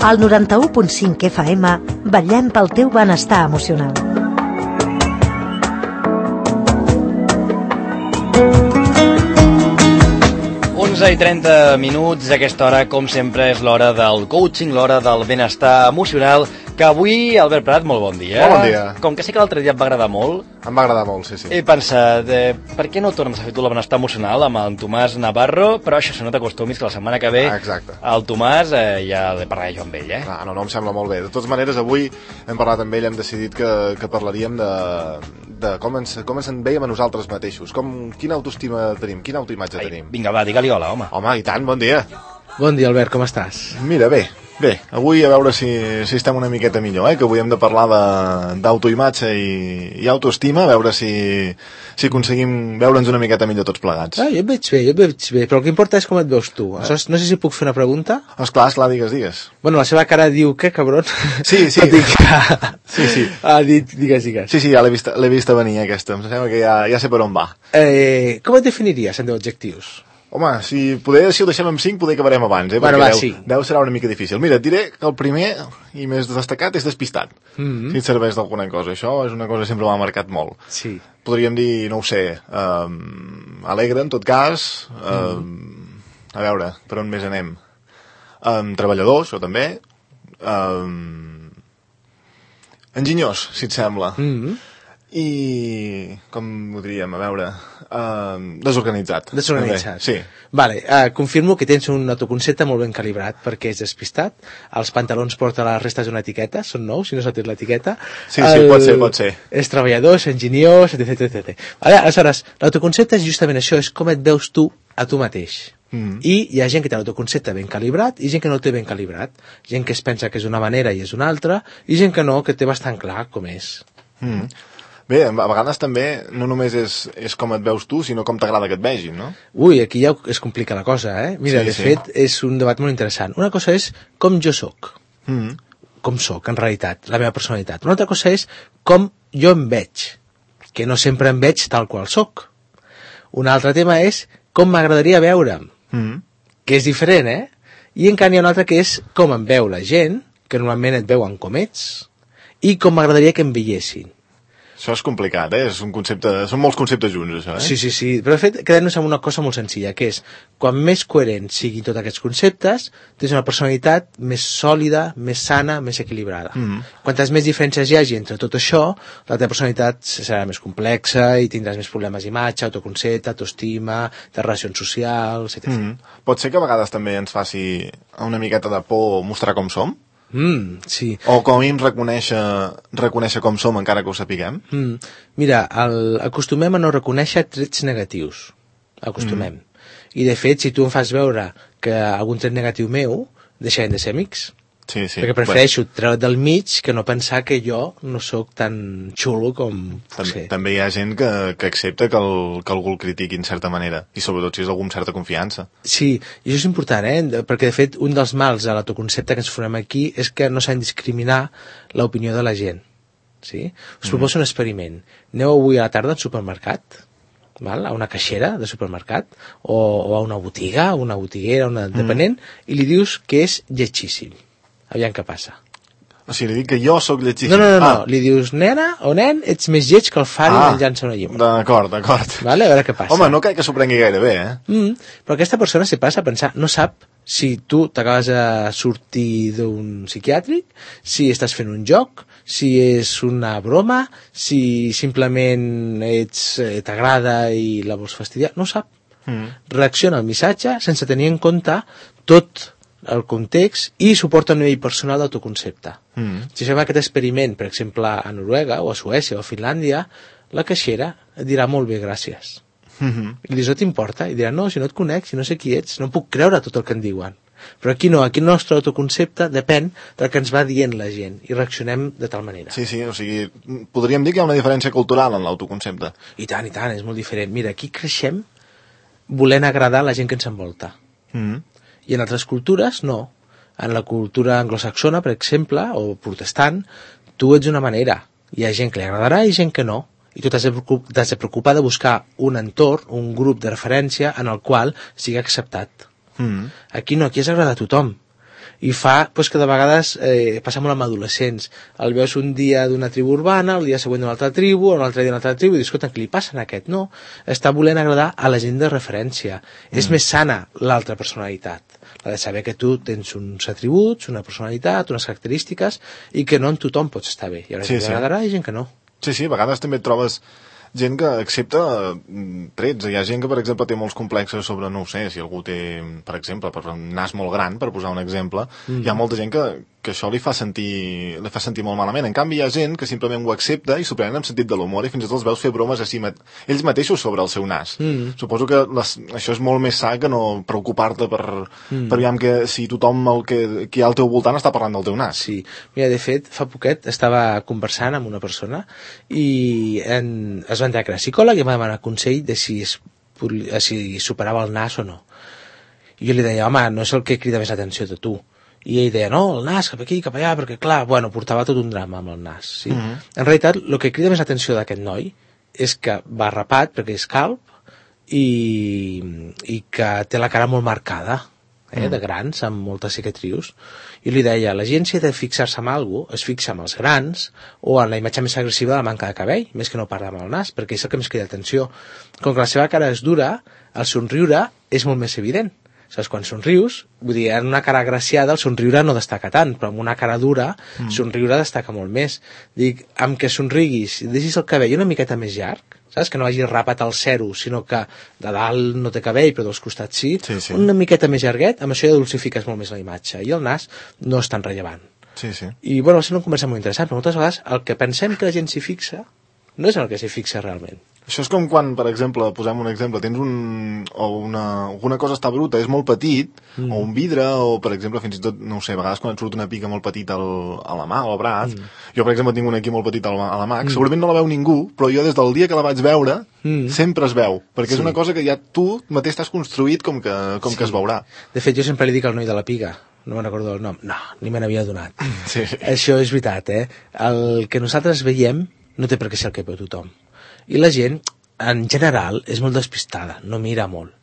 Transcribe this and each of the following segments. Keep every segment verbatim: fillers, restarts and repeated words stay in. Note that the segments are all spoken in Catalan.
Al noranta-u punt cinc F M vetllem pel teu benestar emocional. onze i trenta minuts, a aquesta hora, com sempre, és l'hora del coaching, l'hora del benestar emocional, que avui, Albert Prat, molt bon dia. Molt bon dia. Com que sé que l'altre dia et va agradar molt... Em va agradar molt, sí, sí. He pensat, eh, per què no tornes a fer tu el benestar emocional amb el Tomàs Navarro? Però això, si no t'acostumis, que la setmana que ve ah, exacte. el Tomàs eh, ja li parlaré jo amb ell, eh? Ah, no, no, em sembla molt bé. De totes maneres, avui hem parlat amb ell, hem decidit que, que parlaríem de, de com, ens, com ens en veiem a nosaltres mateixos, com, quina autoestima tenim, quina autoimatge Ai, tenim. Vinga, va, digue-li hola, home. Home, i tant, bon dia. Bon dia, Albert, com estàs? Mira, bé, bé, avui a veure si, si estem una miqueta millor, eh? Que avui hem de parlar d'autoimatge i, i autoestima, a veure si, si aconseguim veure'ns una miqueta millor tots plegats. Ah, jo et veig bé, jo et veig bé, però el que importa és com et veus tu. Eh? No sé si puc fer una pregunta. Esclar, esclar, digues, digues. Bueno, la seva cara diu, què, cabron? Sí, sí. Dic, sí, sí. Ah, dit, digues, digues. Sí, sí, ja l'he vist, l'he vist a venir, aquesta. Em sembla que ja, ja sé per on va. Eh, com et definiries en deu adjectius? Home, si poder, si ho deixem amb cinc, poder acabarem abans, eh? Bueno, perquè va, deu, sí. deu serà una mica difícil. Mira, et diré que el primer i més destacat és despistat. Mm-hmm. Si et serveix d'alguna cosa. Això és una cosa que sempre m'ha marcat molt. Sí. Podríem dir, no ho sé, um, alegre, en tot cas. Um, mm. A veure, per on més anem? Um, treballador, això també. Um, enginyós, si et sembla. Mm-hmm. I, com ho diríem, a veure, uh, desorganitzat. Desorganitzat. Sí. Vale, uh, confirmo que tens un autoconcepte molt ben calibrat perquè és despistat. Els pantalons porta les restes d'una etiqueta, són nous, si no s'ha tret l'etiqueta. Sí, sí, El... pot ser, pot ser. És treballador, és enginyós, etcètera, etcètera. Vale, aleshores, l'autoconcepte és justament això, és com et veus tu a tu mateix. Mm. I hi ha gent que té l'autoconcepte ben calibrat i gent que no el té ben calibrat. Gent que es pensa que és una manera i és una altra, i gent que no, que té bastant clar com és. Mm. Bé, a vegades també no només és, és com et veus tu, sinó com t'agrada que et vegin, no? Ui, aquí ja es complica la cosa, eh? Mira, sí, de sí. fet, és un debat molt interessant. Una cosa és com jo sóc, mm. com sóc, en realitat, la meva personalitat. Una altra cosa és com jo em veig, que no sempre em veig tal qual sóc. Un altre tema és com m'agradaria veure'm, mm. que és diferent, eh? I en canvi hi ha un altre que és com em veu la gent, que normalment et veuen com ets, i com m'agradaria que em veiessin. Això és complicat, eh? És un concepte... Són molts conceptes junts, això, eh? Sí, sí, sí. Però, de fet, quedem-nos amb una cosa molt senzilla, que és, quan més coherents siguin tots aquests conceptes, tens una personalitat més sòlida, més sana, més equilibrada. Mm. Quantes més diferències hi hagi entre tot això, la teva personalitat serà més complexa i tindràs més problemes d'imatge, autoconcepte, autoestima, de relacions socials, etcètera. Mm. Pot ser que a vegades també ens faci una miqueta de por mostrar com som? Mm, sí. O com a mínim reconèixer, reconèixer com som encara que ho sapiguem? Mm. Mira, el, acostumem a no reconèixer trets negatius. Acostumem. Mm. I de fet, si tu em fas veure que algun tret negatiu meu, deixarem de ser amics. Sí, sí. Perquè prefereixo bueno. treure't del mig que no pensar que jo no sóc tan xulo com... També, també hi ha gent que, que accepta que, el, que algú el critiqui en certa manera, i sobretot si és algú amb certa confiança. Sí, i això és important, eh? Perquè de fet un dels mals de l'autoconcepte que ens formem aquí és que no s'ha de discriminar l'opinió de la gent. Sí? Us proposo mm. un experiment. Aneu avui a la tarda al supermercat, val? A una caixera de supermercat, o, o a una botiga, una botiguera, una dependent, mm. i li dius que és lletgíssim. Aviam què passa. O sigui, li dic que jo sóc lletgíssim. No, no, no, ah. no. Li dius, nena o nen, ets més lleig que el Fari ah. menjant-se una llibre. D'acord, d'acord. Vale, a veure què passa. Home, no crec que s'ho prengui gaire bé, eh? Mm, però aquesta persona se passa a pensar, no sap si tu t'acabes de sortir d'un psiquiàtric, si estàs fent un joc, si és una broma, si simplement ets, eh, t'agrada i la vols fastidiar, no ho sap. Mm. Reacciona al missatge sense tenir en compte tot el context i suporta un nivell personal d'autoconcepte. Mm. Si fem aquest experiment, per exemple, a Noruega o a Suècia o a Finlàndia, la caixera et dirà molt bé, gràcies. Mm-hmm. I li dius, no t'importa? I dirà, no, si no et conec, si no sé qui ets, no em puc creure tot el que em diuen. Però aquí no, aquí el nostre autoconcepte depèn del que ens va dient la gent i reaccionem de tal manera. Sí, sí, o sigui, podríem dir que hi ha una diferència cultural en l'autoconcepte. I tant, i tant, és molt diferent. Mira, aquí creixem volent agradar a la gent que ens envolta. Mm. I en altres cultures, no. En la cultura anglosaxona, per exemple, o protestant, tu ets d'una manera. Hi ha gent que li agradarà i gent que no. I tu t'has de, t'has de preocupar de buscar un entorn, un grup de referència en el qual sigui acceptat. Mm. Aquí no, aquí has d'agradar a tothom. i fa pues, que de vegades eh, passa molt amb adolescents, el veus un dia d'una tribu urbana, el dia següent d'una altra tribu, un altre dia d'una altra tribu, i dius, escolta, què li passa a aquest? No, està volent agradar a la gent de referència. Mm. És més sana l'altra personalitat, la de saber que tu tens uns atributs, una personalitat, unes característiques, i que no en tothom pots estar bé. Hi haurà sí, gent que agradarà i gent que no. Sí, sí, a vegades també et trobes gent que accepta trets. Hi ha gent que, per exemple, té molts complexes sobre, no ho sé, si algú té, per exemple, per un nas molt gran, per posar un exemple, mm. hi ha molta gent que, que això li fa sentir li fa sentir molt malament. En canvi, hi ha gent que simplement ho accepta i s'ho prenen amb sentit de l'humor i fins i tot els veus fer bromes a si mat ells mateixos sobre el seu nas. Mm. Suposo que les, això és molt més sa que no preocupar-te per, mm. per aviam que si tothom el que, que hi ha al teu voltant està parlant del teu nas. Sí. Mira, de fet, fa poquet estava conversant amb una persona i en, es va entrar que era psicòleg i em va demanar consell de si, es, si superava el nas o no. I jo li deia, home, no és el que crida més l'atenció de tu. I ell deia, no, el nas, cap aquí, cap allà, perquè clar, bueno, portava tot un drama amb el nas. Sí? Uh -huh. En realitat, el que crida més l'atenció d'aquest noi és que va rapat, perquè és calb, i, i que té la cara molt marcada, eh, uh -huh. de grans, amb moltes cicatrius. I li deia, la gent si ha de fixar-se en alguna cosa, es fixa en els grans o en la imatge més agressiva de la manca de cabell, més que no parla amb el nas, perquè és el que més crida atenció. Com que la seva cara és dura, el somriure és molt més evident. Saps, quan somrius, vull dir, en una cara agraciada el somriure no destaca tant, però en una cara dura mm. somriure destaca molt més. Dic, amb que somriguis i deixis el cabell una miqueta més llarg, saps, que no hagi rapat al zero, sinó que de dalt no té cabell, però dels costats sí, sí, sí. una miqueta més llarguet, amb això ja dulcifiques molt més la imatge, i el nas no és tan rellevant. Sí, sí. I, bueno, va ser una conversa molt interessant, però moltes vegades el que pensem que la gent s'hi fixa no és el que s'hi fixa realment. Això és com quan, per exemple, posem un exemple, tens un... o una... alguna cosa està bruta, és molt petit, mm. o un vidre, o, per exemple, fins i tot, no ho sé, a vegades quan et surt una pica molt petita al, a la mà o al braç, mm. jo, per exemple, tinc una aquí molt petita a la mà, mm. segurament no la veu ningú, però jo des del dia que la vaig veure, mm. sempre es veu, perquè sí. és una cosa que ja tu mateix t'has construït com que, com sí. que es veurà. De fet, jo sempre li dic al noi de la piga, no me'n recordo el nom, no, ni me n'havia donat. Sí, sí. Això és veritat, eh? El que nosaltres veiem no té per què ser el que veu tothom. I la gent, en general, és molt despistada, no mira molt.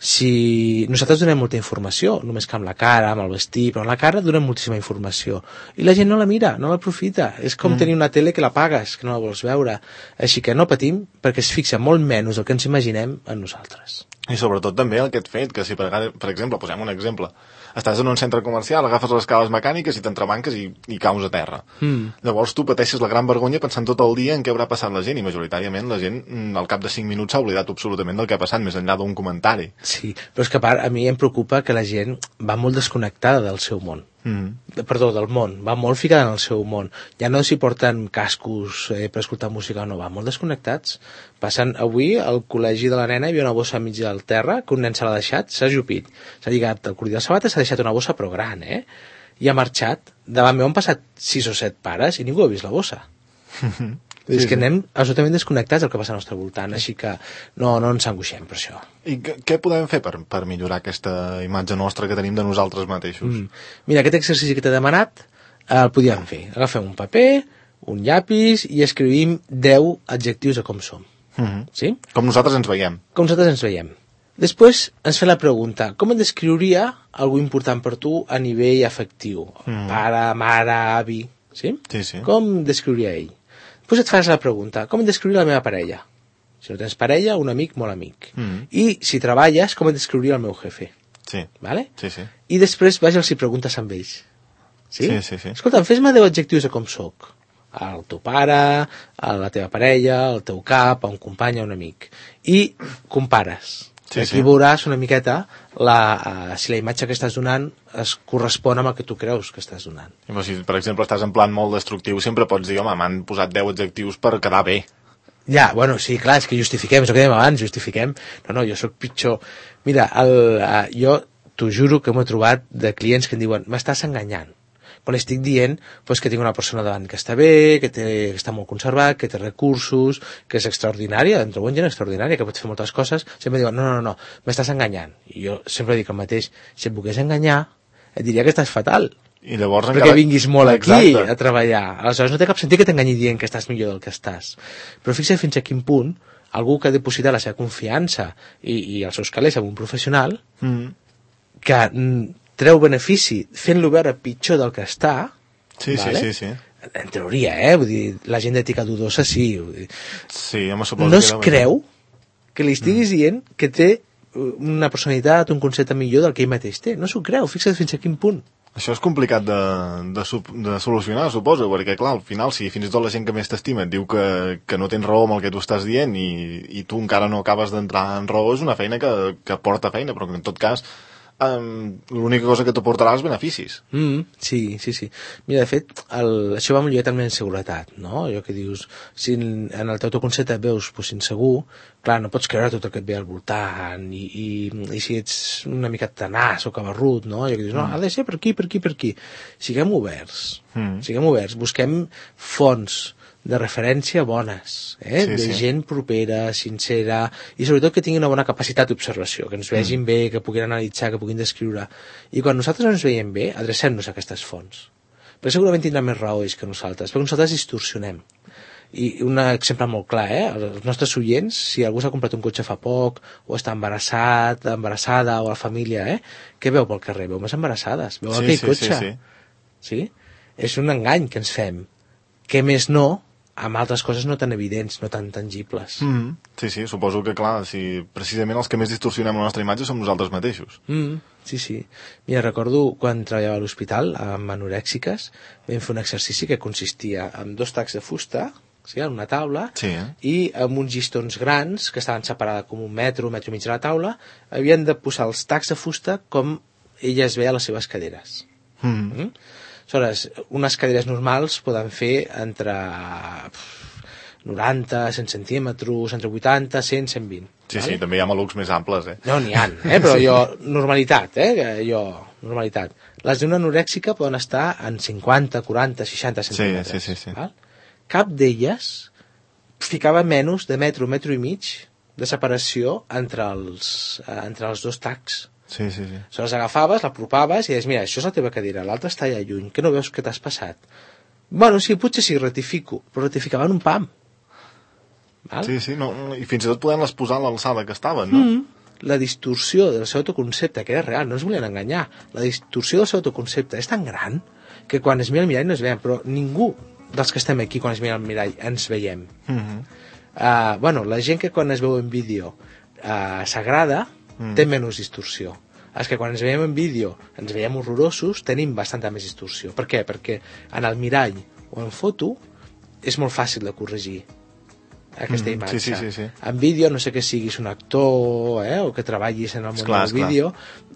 Si nosaltres donem molta informació, només que amb la cara, amb el vestit, però amb la cara donem moltíssima informació. I la gent no la mira, no l'aprofita. És com mm. tenir una tele que la pagues, que no la vols veure. Així que no patim, perquè es fixa molt menys del que ens imaginem en nosaltres. I sobretot també aquest fet, que si per, per exemple, posem un exemple, estàs en un centre comercial, agafes les escales mecàniques i t'entrebanques i, i caus a terra. Mm. Llavors tu pateixes la gran vergonya pensant tot el dia en què haurà passat la gent, i majoritàriament la gent al cap de cinc minuts s'ha oblidat absolutament del que ha passat, més enllà d'un comentari. Sí, però és que a part a mi em preocupa que la gent va molt desconnectada del seu món. Mm. Perdó, del món, va molt ficada en el seu món. Ja no s'hi porten cascos eh, per escoltar música, no, va molt desconnectats. Passen avui al col·legi de la nena hi havia una bossa mig del terra que un nen se l'ha deixat, s'ha ajupit, s'ha lligat el cordó de sabates, s'ha deixat una bossa però gran, eh? I ha marxat. Davant meu han passat sis o set pares i ningú ha vist la bossa. Sí, és que sí. anem absolutament desconnectats del que passa al nostre voltant, així que no, no ens angoixem per això. I què podem fer per, per millorar aquesta imatge nostra que tenim de nosaltres mateixos? Mm. Mira, aquest exercici que t'he demanat el podíem fer. Agafem un paper, un llapis i escrivim deu adjectius de com som. Mm-hmm. Sí? Com nosaltres ens veiem. Com nosaltres ens veiem. Després ens fem la pregunta, com et descriuria algú important per tu a nivell afectiu? Mm. Pare, mare, avi, sí? Sí, sí. Com descriuria ell? Després et fas la pregunta, com et descriuria la meva parella? Si no tens parella, un amic, molt amic. Mm. I si treballes, com et descriuria el meu jefe? Sí. Vale? Sí, sí. I després vas i els hi preguntes amb ells. Sí? Sí, sí, sí. Escolta'm, fes-me deu adjectius de com soc. El teu pare, a la teva parella, al teu cap, a un company, a un amic. I compares. Sí, aquí sí. Veuràs una miqueta la, uh, si la imatge que estàs donant es correspon amb el que tu creus que estàs donant. I, si, per exemple, estàs en plan molt destructiu, sempre pots dir, home, m'han posat deu adjectius per quedar bé. Ja, bueno, sí, clar, és que justifiquem, és el que dèiem abans, justifiquem. No, no, jo sóc pitjor. Mira, el, uh, jo t'ho juro que m'he trobat de clients que em diuen, m'estàs enganyant. Quan estic dient pues, que tinc una persona davant que està bé, que, té, que està molt conservat, que té recursos, que és extraordinària, em trobo gent extraordinària, que pot fer moltes coses, sempre diuen, no, no, no, m'estàs enganyant. I jo sempre dic el mateix, si et volgués enganyar, et diria que estàs fatal. I llavors perquè encara... vinguis molt aquí Exacte. A treballar. Aleshores no té cap sentit que t'enganyi dient que estàs millor del que estàs. Però fixa't fins a quin punt algú que ha depositat la seva confiança i, i els seus calés en un professional mm. que... treu benefici fent-lo veure pitjor del que està, Sí, vale? sí, sí, sí. En teoria, eh? Vull dir, la gent d'ètica dudosa sí. Vull dir. Sí, home, suposo No que es era... creu que li estiguis mm. dient que té una personalitat, un concepte millor del que ell mateix té. No s'ho creu, fixa't fins a quin punt. Això és complicat de, de, de solucionar, suposo, perquè, clar, al final, si fins i tot la gent que més t'estima et diu que, que no tens raó amb el que tu estàs dient i, i tu encara no acabes d'entrar en raó, és una feina que, que porta feina, però que en tot cas um, l'única cosa que t'aportarà és beneficis. Mm, sí, sí, sí. Mira, de fet, el, això va molt lligat també en seguretat, no? Allò que dius, si en, en el teu autoconcepte et veus pues, insegur, clar, no pots creure tot el que et ve al voltant, i, i, i si ets una mica tenàs o cabarrut, no? Allò que dius, no, ha de ser per aquí, per aquí, per aquí. Siguem oberts, mm. siguem oberts, busquem fonts de referència bones, eh? Sí, de sí. gent propera, sincera, i sobretot que tinguin una bona capacitat d'observació, que ens vegin mm. bé, que puguin analitzar, que puguin descriure. I quan nosaltres no ens veiem bé, adrecem-nos a aquestes fonts. Perquè segurament tindran més raó ells que nosaltres, perquè nosaltres distorsionem. I un exemple molt clar, eh? Els nostres oients, si algú s'ha comprat un cotxe fa poc, o està embarassat, embarassada, o a la família, eh? Què veu pel carrer? Veu més embarassades, veu Sí, aquell sí, cotxe. sí, sí. Sí? És un engany que ens fem. Què més no, amb altres coses no tan evidents, no tan tangibles. Mm. Sí, sí, suposo que, clar, si precisament els que més distorsionem la nostra imatge som nosaltres mateixos. Mm, sí, sí. Mira, recordo quan treballava a l'hospital amb anorèxiques, vam fer un exercici que consistia en dos tacs de fusta, sí, en una taula, Sí, eh? i amb uns llistons grans, que estaven separats com un metro, un metro i mig de la taula, havien de posar els tacs de fusta com ella es veia a les seves caderes. Mm. Mm? Aleshores, unes cadires normals poden fer entre noranta, cent centímetres, entre vuitanta, cent, cent vint. Sí, vale? sí, també hi ha malucs més amples, eh? No, n'hi ha, eh? Però jo, normalitat, eh? Jo, normalitat. Les d'una anorèxica poden estar en cinquanta, quaranta, seixanta centímetres. Sí, sí, sí, sí. Val? Cap d'elles ficava menys de metro, metro i mig de separació entre els, eh, entre els dos tacs. Sí, sí, sí. Se les agafaves, l'apropaves i deies, mira, això és la teva cadira, l'altra està allà lluny, que no veus que t'has passat? Bueno, sí, potser sí, rectifico, però rectificaven un pam. Val? Sí, sí, no, i fins i tot podem-les posar a l'alçada que estaven, no? Mm. La distorsió del seu autoconcepte, que era real, no ens volien enganyar, la distorsió del seu autoconcepte és tan gran que quan es mira al mirall no es veiem, però ningú dels que estem aquí quan es mira al mirall ens veiem. Mm -hmm. uh, bueno, la gent que quan es veu en vídeo uh, s'agrada, mm. té menys distorsió. És que quan ens veiem en vídeo ens veiem horrorosos, tenim bastanta més distorsió. Per què? Perquè en el mirall o en foto és molt fàcil de corregir aquesta mm, imatge. sí, sí, sí, sí. En vídeo, no sé que siguis un actor, eh, o que treballis en el món esclar, del vídeo,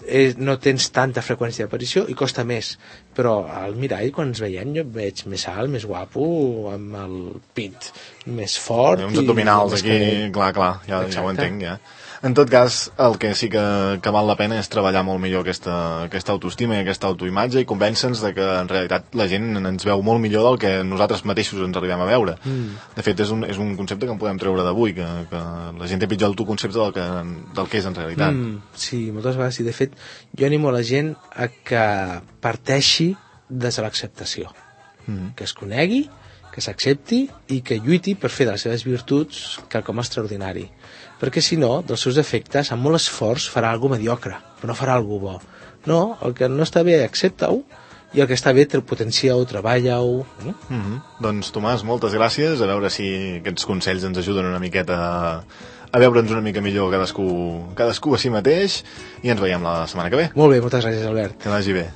eh, no tens tanta freqüència d'aparició i costa més. Però al mirall, quan ens veiem, jo et veig més alt, més guapo, amb el pit més fort. Hi ha uns abdominals i aquí, que... clar, clar, ja, ja ho entenc, ja. En tot cas, el que sí que, que val la pena és treballar molt millor aquesta, aquesta autoestima i aquesta autoimatge i convèncer-nos de que en realitat la gent ens veu molt millor del que nosaltres mateixos ens arribem a veure. Mm. De fet, és un, és un concepte que en podem treure d'avui, que, que la gent té pitjor autoconcepte del que, del que és en realitat. Mm, sí, moltes vegades. I de fet, jo animo la gent a que parteixi des de l'acceptació. Mm. Que es conegui, que s'accepti i que lluiti per fer de les seves virtuts quelcom extraordinari. Perquè si no, dels seus defectes, amb molt esforç farà alguna mediocre, però no farà alguna bo. No, el que no està bé, accepta-ho, i el que està bé, potencia-ho, treballa-ho. Mm? Mm-hmm. Doncs, Tomàs, moltes gràcies. A veure si aquests consells ens ajuden una miqueta a, a veure'ns una mica millor cadascú, cadascú a si mateix, i ens veiem la setmana que ve. Molt bé, moltes gràcies, Albert. Que vagi bé.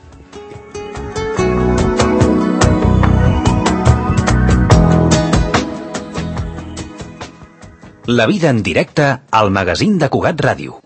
La vida en directe al magazín de Cugat Ràdio.